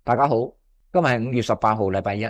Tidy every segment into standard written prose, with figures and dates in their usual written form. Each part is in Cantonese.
大家好，今日係5月18號，禮拜一，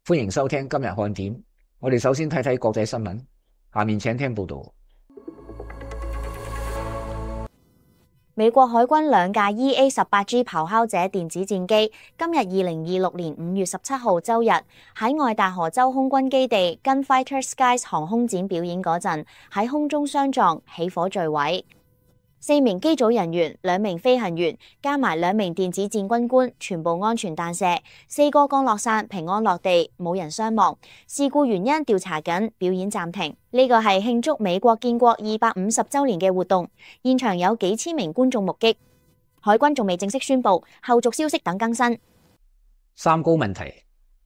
歡迎收聽今日看點。我哋首先睇睇國際新聞，下面請聽報道。美國海軍兩架 EA-18G 咆哮者電子戰機，今日2026年5月17號周日喺愛達荷州空軍基地 Gunfighter Skies 航空展表演嗰陣，喺空中相撞，起火墜毀。4名機組人員、2名飛行員加埋2名電子戰軍官全部安全彈射，4個降落傘平安落地，冇人傷亡。事故原因調查緊，表演暫停。呢個係慶祝美國建國250週年嘅活動，現場有幾千名觀眾目擊。海軍仲未正式宣布，後續消息等更新。三高問題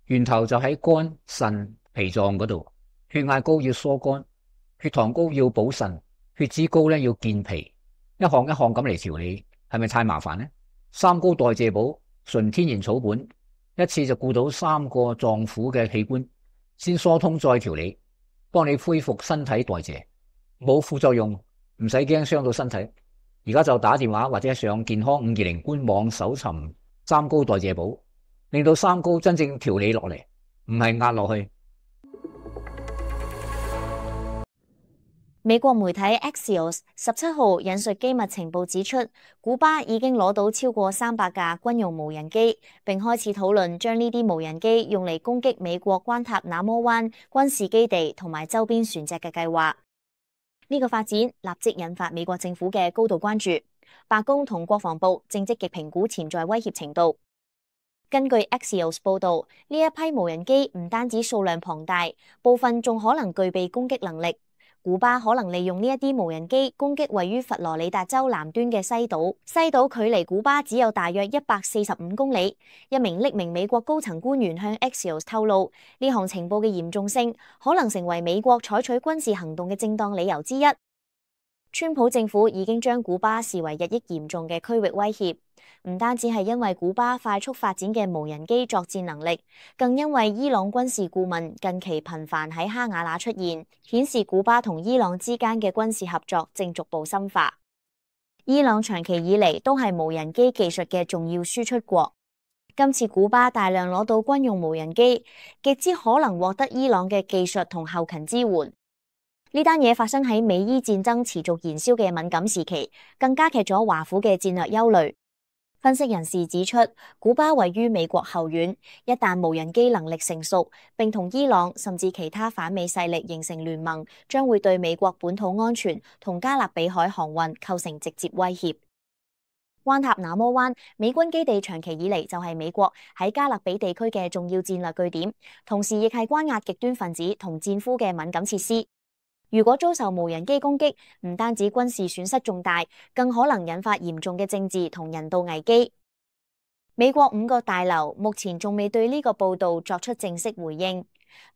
源頭就喺肝、腎、脾臟嗰度，血壓高要疏肝，血糖高要補腎，血脂高咧要健脾。一項一項咁嚟調理，係咪太麻煩呢？三高代謝寶純天然草本，一次就顧到3個臟腑嘅器官，先疏通再調理，幫你恢復身體代謝，冇副作用，唔使驚傷到身體。而家就打電話或者上健康520官網搜尋三高代謝寶，令到三高真正調理落嚟，唔係壓落去。美國媒體 Axios 17號引述機密情報指出，古巴已經攞到超過300架軍用無人機，並開始討論將呢啲無人機用嚟攻擊美國關塔那摩灣軍事基地同埋周邊船隻嘅計劃。呢個發展立即引發美國政府嘅高度關注，白宮同國防部正積極評估潛在威脅程度。根據 Axios 報導，呢一批無人機唔單止數量龐大，部分仲可能具備攻擊能力。古巴可能利用呢一啲無人機攻擊位於佛羅里達州南端嘅西島，西島距離古巴只有大約145公里。一名匿名美國高層官員向 Axios 透露，呢項情報嘅嚴重性可能成為美國採取軍事行動嘅正當理由之一。川普政府已經將古巴視為日益嚴重嘅區域威脅，唔單止係因為古巴快速發展嘅無人機作戰能力，更因為伊朗軍事顧問近期頻繁喺哈瓦那出現，顯示古巴同伊朗之間嘅軍事合作正逐步深化。伊朗長期以嚟都係無人機技術嘅重要輸出國，今次古巴大量攞到軍用無人機，極之可能獲得伊朗嘅技術同後勤支援。呢單嘢發生喺美伊戰爭持續燃燒嘅敏感時期，更加劇咗華府嘅戰略憂慮。分析人士指出，古巴位於美國後院，一旦無人機能力成熟，並同伊朗甚至其他反美勢力形成聯盟，將會對美國本土安全同加勒比海航運構成直接威脅。關塔那摩灣美軍基地長期以嚟就係美國喺加勒比地區嘅重要戰略據點，同時亦係關押極端分子同戰俘嘅敏感設施。如果遭受無人機攻擊，唔單止軍事損失重大，更可能引發嚴重嘅政治同人道危機。美國5個大樓目前仲未對呢個報道作出正式回應。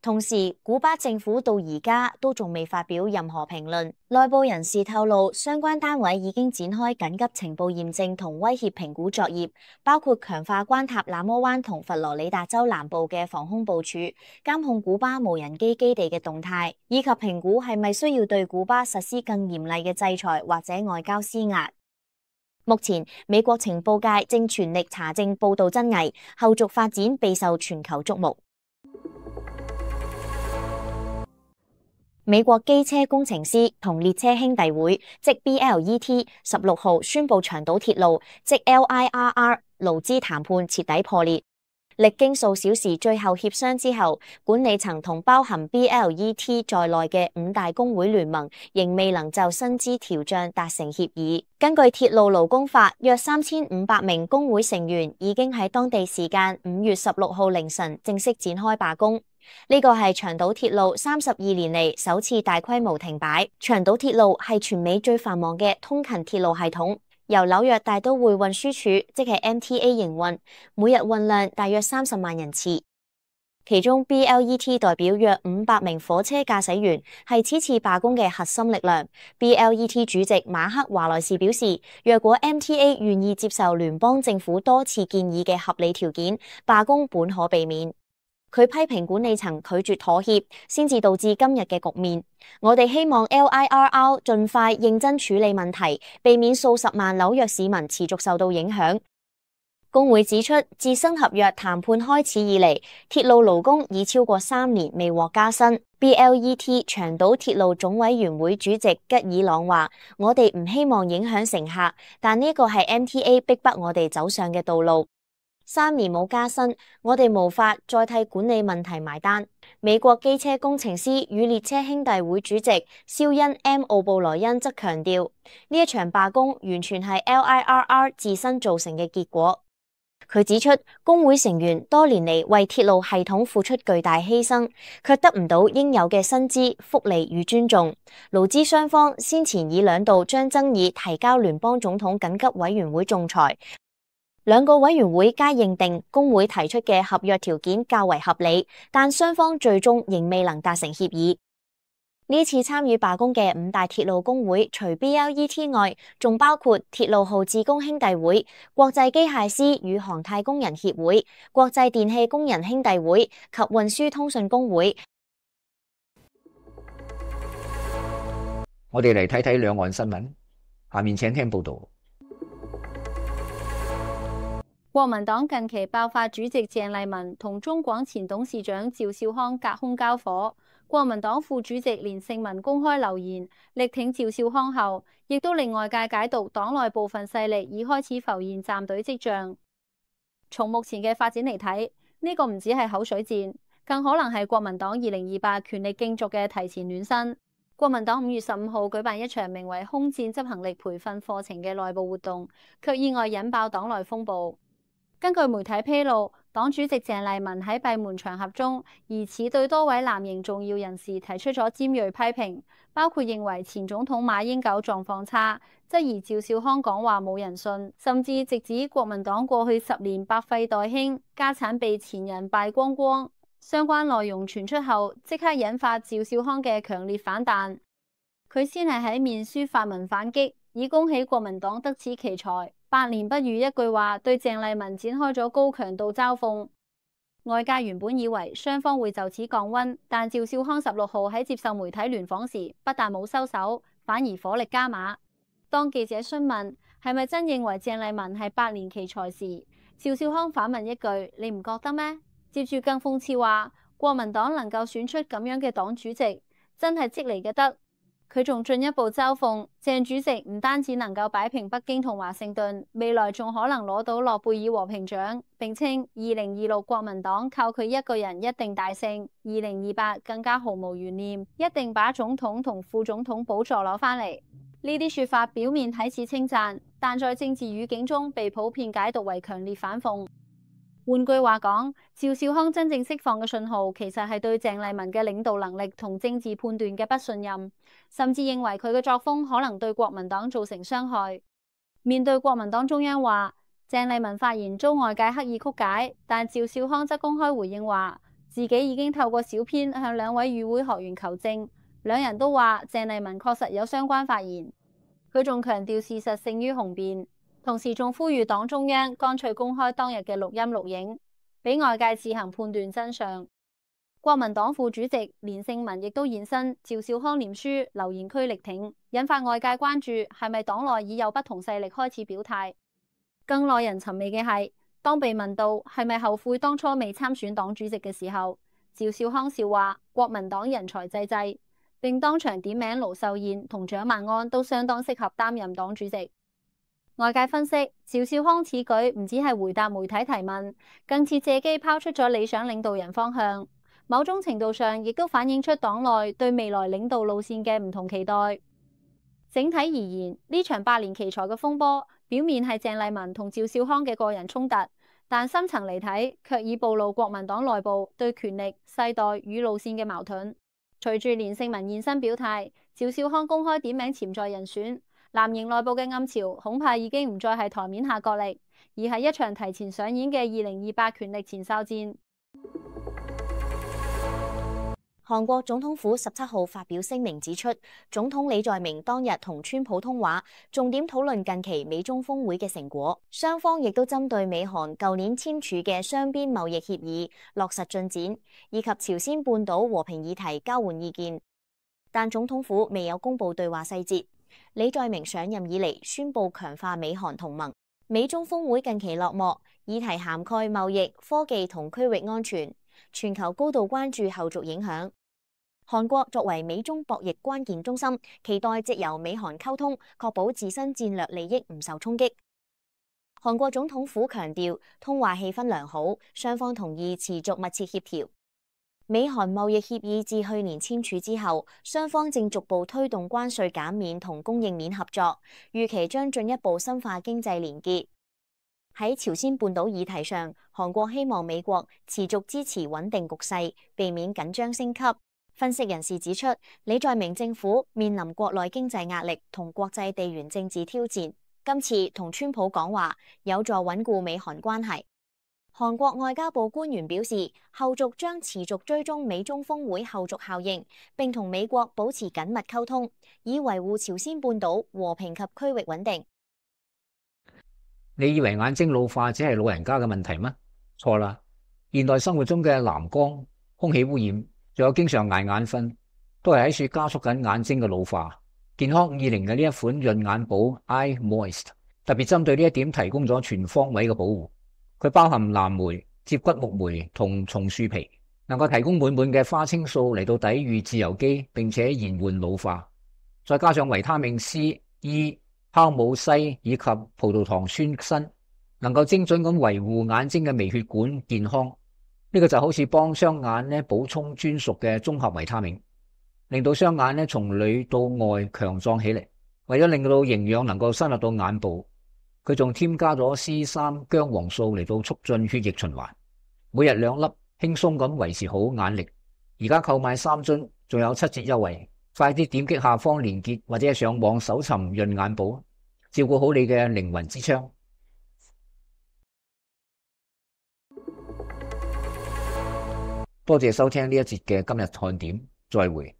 同時，古巴政府到而家都仲未發表任何評論。內部人士透露，相關單位已經展開緊急情報驗證同威脅評估作業，包括強化關塔那摩灣同佛羅里達州南部嘅防空部署，監控古巴無人機基地嘅動態，以及評估係咪需要對古巴實施更嚴厲嘅制裁或者外交施壓。目前，美國情報界正全力查證報道真偽，後續發展備受全球矚目。美國機車工程師同列車兄弟會即 BLET 16號宣布長島鐵路即 LIRR 勞資談判徹底破裂。歷經數小時最後協商之後，管理層同包含 BLET 在內嘅5大工會聯盟仍未能就薪資調漲達成協議。根據鐵路勞工法，約3500名工會成員已經喺當地時間5月16號凌晨正式展開罷工。呢個係長島鐵路32年嚟首次大規模停擺。長島鐵路係全美最繁忙嘅通勤鐵路系統，由紐約大都會運輸署即係 MTA 營運，每日運量大約30萬人次。其中 BLET 代表約500名火車駕駛員，係此次罷工嘅核心力量。BLET 主席馬克華萊士表示，若果 MTA 願意接受聯邦政府多次建議嘅合理條件，罷工本可避免。佢批評管理層拒絕妥協，先至導致今日嘅局面。我哋希望 LIRR 盡快認真處理問題，避免數十萬紐約市民持續受到影響。工會指出，自新合約談判開始以嚟，鐵路勞工已超過3年未獲加薪。BLET 長島鐵路總委員會主席吉爾朗話：我哋唔希望影響乘客，但呢個係 MTA 逼迫我哋走上嘅道路。3年冇加薪，我哋無法再替管理問題埋單。美國機車工程師與列車兄弟會主席肖恩 M 奧布萊恩則強調，呢一場罷工完全係 LIRR 自身造成嘅結果。佢指出，工會成員多年嚟為鐵路系統付出巨大犧牲，卻得唔到應有嘅薪資、福利與尊重。勞資雙方先前已兩度將爭議提交聯邦總統緊急委員會仲裁，兩個委員會皆認定工會提出嘅合約條件較為合理，但雙方最終仍未能達成協議。呢次參與罷工嘅5大鐵路工會，除 BLET 外，仲包括鐵路號志工兄弟會、國際機械師與航太工人協會、國際電氣工人兄弟會及運輸通訊工會。我哋嚟睇睇兩岸新聞，下面請聽報道。國民黨近期爆發主席鄭麗文同中廣前董事長趙少康隔空交火。國民黨副主席連勝文公開留言力挺趙少康後，亦都令外界解讀黨內部分勢力已開始浮現站隊跡象。從目前嘅發展嚟睇，呢個唔止係口水戰，更可能係國民黨2028權力競逐嘅提前暖身。國民黨5月15號舉辦一場名為空戰執行力培訓課程嘅內部活動，卻意外引爆黨內風暴。根據媒體披露，黨主席鄭麗文喺閉門場合中，疑似對多位藍營重要人士提出咗尖銳批評，包括認為前總統馬英九狀況差，質疑趙少康講話冇人信，甚至直指國民黨過去10年百廢待興，家產被前人敗光光。相關內容傳出後，即刻引發趙少康嘅強烈反彈。佢先係喺面書發文反擊，以恭喜國民黨得此奇才。百年不遇一句話，對鄭麗文展開咗高強度嘲諷。外界原本以為雙方會就此降溫，但趙少康16號喺接受媒體聯訪時，不但冇收手，反而火力加碼。當記者詢問係咪真認為鄭麗文係百年奇才時，趙少康反問一句：你唔覺得咩？接住更諷刺話，國民黨能夠選出咁樣嘅黨主席，真係積嚟嘅德。佢仲進一步嘲諷鄭主席唔單止能夠擺平北京同華盛頓，未來仲可能攞到諾貝爾和平獎，並稱2026國民黨靠佢一個人一定大勝，2028更加毫無懸念，一定把總統同副總統寶座攞返嚟。呢啲說法表面睇似稱讚，但在政治語境中被普遍解讀為強烈反諷。換句話講，趙少康真正釋放嘅信號，其實係對鄭麗文嘅領導能力同政治判斷嘅不信任，甚至認為佢嘅作風可能對國民黨造成傷害。面對國民黨中央話鄭麗文發言遭外界刻意曲解，但趙少康則公開回應話自己已經透過小編向2位與會學員求證，兩人都話鄭麗文確實有相關發言。佢仲強調事實勝於雄辯。同時仲呼籲黨中央乾脆公開當日嘅錄音錄影，俾外界自行判斷真相。國民黨副主席連勝文亦都現身趙少康臉書留言區力挺，引發外界關注係咪黨內已有不同勢力開始表態。更耐人尋味嘅係，當被問到係咪後悔當初未參選黨主席嘅時候，趙少康笑話國民黨人才濟濟，並當場點名盧秀燕同蔣萬安都相當適合擔任黨主席。外界分析，趙少康此舉唔只係回答媒體提問，更似借機拋出咗理想領導人方向。某種程度上，亦都反映出黨內對未來領導路線嘅唔同期待。整體而言，呢場百年奇才嘅風波，表面係鄭麗文同趙少康嘅個人衝突，但深層嚟睇，卻已暴露國民黨內部對權力、世代與路線嘅矛盾。隨住連勝文現身表態，趙少康公開點名潛在人選。藍營內部嘅暗潮恐怕已經唔再係台面下角力，而係一場提前上演嘅2028權力前哨戰。韓國總統府17號發表聲明指出，總統李在明當日同川普通話，重點討論近期美中峰會嘅成果，雙方亦都針對美韓舊年簽署嘅雙邊貿易協議落實進展，以及朝鮮半島和平議題交換意見。但總統府未有公布對話細節。李在明上任以嚟宣布強化美韓同盟，美中峰會近期落幕，議題涵蓋貿易、科技同區域安全，全球高度關注後續影響。韓國作為美中博弈關鍵中心，期待藉由美韓溝通，確保自身戰略利益唔受衝擊。韓國總統府強調，通話氣氛良好，雙方同意持續密切協調。美韓貿易協議自去年簽署之後，雙方正逐步推動關稅減免同供應鏈合作，預期將進一步深化經濟連結。喺朝鮮半島議題上，韓國希望美國持續支持穩定局勢，避免緊張升級。分析人士指出，李在明政府面臨國內經濟壓力同國際地緣政治挑戰，今次同川普講話有助穩固美韓關係。韓國外交部官員表示，後續將持續追蹤美中峰會後續效應，並同美國保持緊密溝通，以維護朝鮮半島和平及區域穩定。你以為眼睛老化只係老人家嘅問題嗎？錯啦！現代生活中嘅藍光、空氣污染，仲有經常捱眼瞓，都係喺處加速緊眼睛嘅老化。健康520嘅呢一款潤眼寶 Eye Moist 特別針對呢一點提供咗全方位嘅保護。佢包含藍莓、接骨木莓同松樹皮，能夠提供滿滿嘅花青素嚟到抵禦自由基，並且延緩老化。再加上維他命 C、E、酵母硒以及葡萄糖酸鋅，能夠精準咁維護眼睛嘅微血管健康。呢個就好似幫雙眼補充專屬嘅綜合維他命，令到雙眼從裏到外強壯起嚟。為咗令到營養能夠深入到眼部，佢仲添加咗 C3 薑黃素嚟到促進血液循環。每日2粒，輕鬆咁維持好眼力。而家購買3樽，仲有7折優惠。快啲點擊下方連結，或者係上網搜尋潤眼寶，照顧好你嘅靈魂之窗。多謝收聽呢一節嘅今日看點，再會。